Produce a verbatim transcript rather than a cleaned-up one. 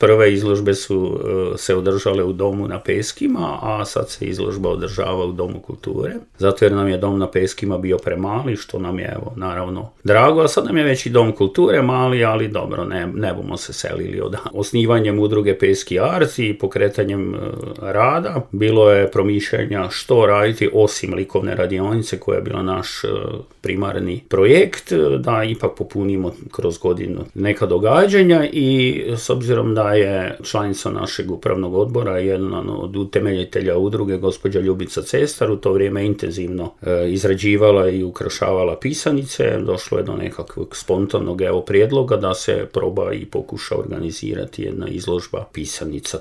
Prve izložbe su se održale u Domu na Peskima, a sad se izložba održava u Domu kulture. Zato jer nam je Dom na Peskima bio premali, što nam je, evo, naravno drago, a sad nam je već i Dom kulture mali, ali dobro, ne, ne bomo se selili od osnivanjem udruge Peski Art i pokretanjem uh, rada. Bilo je promišljanja što raditi osim likovne radionice koja je bila naš uh, primarni projekt, da ipak popunimo kroz godinu neka događanja i s obzirom da je članica našeg upravnog odbora, jedan od utemeljitelja udruge, gospođa Ljubica Cestar, u to vrijeme intenzivno e, izrađivala i ukrašavala pisanice. Došlo je do nekakvog spontanog evo prijedloga da se proba i pokuša organizirati jedna izložba pisanica.